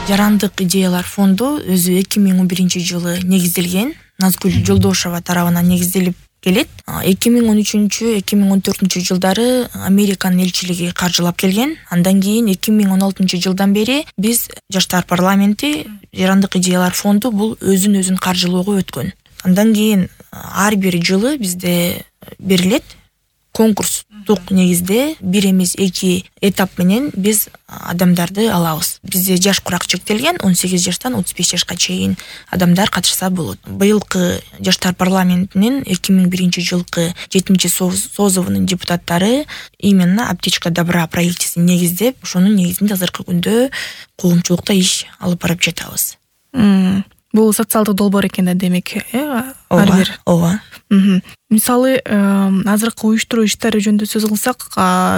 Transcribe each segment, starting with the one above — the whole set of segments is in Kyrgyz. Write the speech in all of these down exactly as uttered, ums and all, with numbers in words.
Жарандык идеялар фонду өзү эки миң он биринчи жылы негизделген. Назгүл Жолдошева тарабынан негизделип келет. эки миң он үчүнчү — эки миң он төртүнчү жылдары Американын элчилиги каржылап келген. Андан кийин эки миң он алтынчы жылдан бери биз Жаштар парламенти Жарандык идеялар фонду бул өзүн өзүн каржылоого өткөн. Андан кийин ар бир жылы бизде берилет конкурстук негизде бир эмес эки этап менен биз адамдарды алабыз. Бизде жаш курак чектелген, он сегиз жаштан отуз беш жашка чейин адамдар катышса болот. Быйылкы Жаштар парламентинин эки миң биринчи жылкы жетинчи созовунун депутаттары именно аптечка добра проектисин негиздеп, ошонун негизинде азыркы күндө коомчулукта иш алып барып жатабыз. Бул социалдык долбоор экен да, демек, э? Ар бир. Ооба. Мисалы, азыркы уюштуруу иштери жөнүндө сөз кылсак,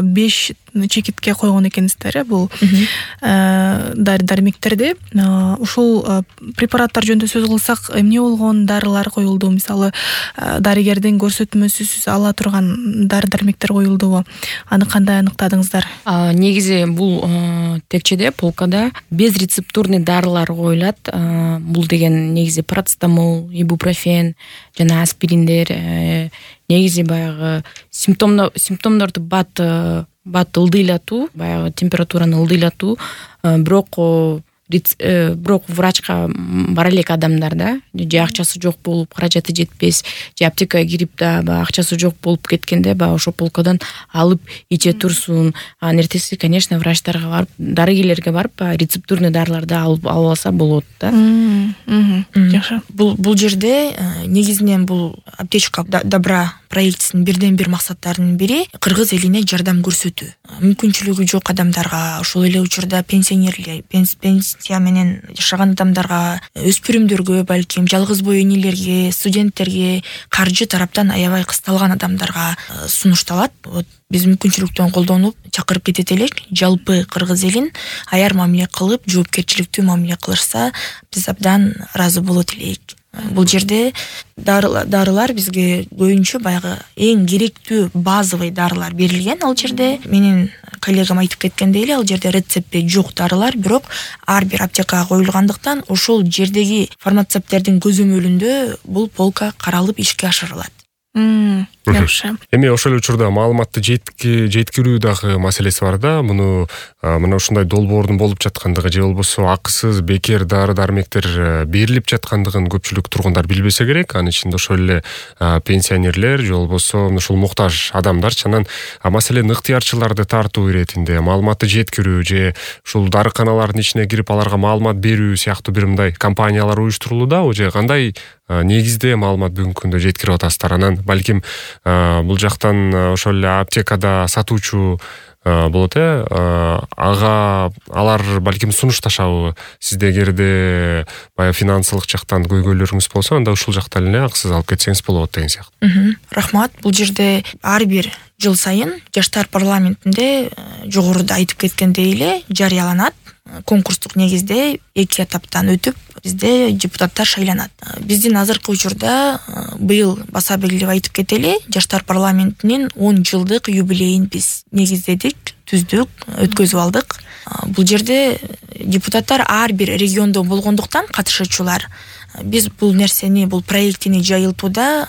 беш чекитке койгон экенсиздер, бул дары-дармектерди. Ушул препараттар жөнүндө сөз кылсак, эмне болгон дарылар коюлду? Мисалы, дарыгердин көрсөтмөсүсүз ала турган дары-дармектер коюлдубу? Аны кандай аныктадыңыздар? Негизи бул текчеде, полкада безрецептурный дарылар коюлат. Бул деген негизи парацетамол, ибупрофен жана аспириндер. Негизи баягы симптомдорду бат бат ылдыйлатуу, баягы температураны ылдыйлатуу, бирок бирок врачка бара элек адамдарда же акчасы жок болуп, каражаты жетпес, же аптекага кирип да баягы акчасы жок болуп кеткенде баягы ошо полкадан алып иче турсун. Анын эртеси, конечно, врачтарга барып, дарыгерлерге барып, рецептурный дарыларды алып алса болот да. Жакшы. Бул бул жерде негизинен бул аптечка добра проектисинин бирден бир максаттарынын бири кыргыз элине жардам көрсөтүү. Мүмкүнчүлүгү жок адамдарга, ошол эле учурда пенсионерлер, пенсия менен жашаган адамдарга, өспүрүмдөргө, балким жалгыз бой энелерге, студенттерге, каржы тараптан аябай кысталган адамдарга сунушталат. Вот биз мүмкүнчүлүктөн колдонуп чакырып кетет элек. Жалпы кыргыз элин аяр мамиле кылып, жоопкерчиликтүү мамиле кылышса, биз абдан ыраазы болот элек. Бул жерде дарылар бизге көбүнчө баягы эң керектүү базовый дарылар берилген. Ал жерде менин коллегам айтып кеткендей эле, ал жерде рецепти жок дарылар, бирок ар бир аптекага коюлгандыктан ошол жердеги фармацевттердин көзөмөлүндө бул полка каралып ишке ашырылат. Жакшы. Эми ошол учурда маалыматты жеткирүү дагы маселеси бар да. Муну мына ушундай долбоордун болуп жаткандыгы же болбосо акысыз бекер дары-дармектер берилип жаткандыгын көпчүлүк тургундар билбесе керек. Анын ичинде ошол эле пенсионерлер же болбосо ушул муктаж адамдар. Чанан маселенин ыктыярчыларды тартуу иретинде маалыматты жеткирүү же ушул дарыканалардын ичине кирип аларга маалымат берүү сыяктуу бир мындай компаниялар уюштурулууда, же кандай негизде маалымат бүгүнкү күндө жеткирип атасыздар? Анан балким бул жактан ошол эле аптекада сатуучу болот, э ага алар балким сунушташабы? Сизде эгерде баягы финансылык жактан көйгөйлөрүңүз болсо, анда ушул жакта эле акысыз алып кетсеңиз болот деген сыяктуу. Рахмат. Бул жерде ар бир жыл сайын Жаштар парламентинде жогоруда айтып кеткендей эле жарыяланат. Конкурстук негизде эки этаптан өтүп бизде депутаттар шайланат. Биздин азыркы учурда быйыл баса белгилеп айтып кетели, Жаштар парламентинин он жылдык юбилейин биз негиздедик, түздүк, өткөзүп алдык. Бул жерде депутаттар ар бир региондо болгондуктан катышуучулар биз бул нерсени, бул проектини жайылтууда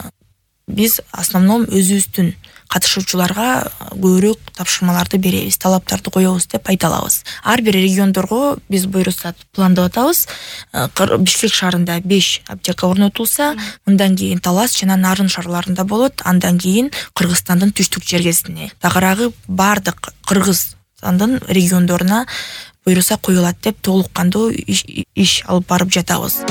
биз основном өзүбүздүн катышуучуларга көбүрөөк тапшырмаларды беребиз, талаптарды коебуз деп айта алабыз. Ар бир региондорго биз буйруксат пландап атабыз. Бишкек шаарында беш аптека орнотулса, мындан кийин Талас жана Нарын шаарларында болот, андан кийин Кыргызстандын түштүк жергесине, тагыраагы бардык Кыргызстандын региондоруна буйруса коюлат деп толук кандуу иш алып барып жатабыз.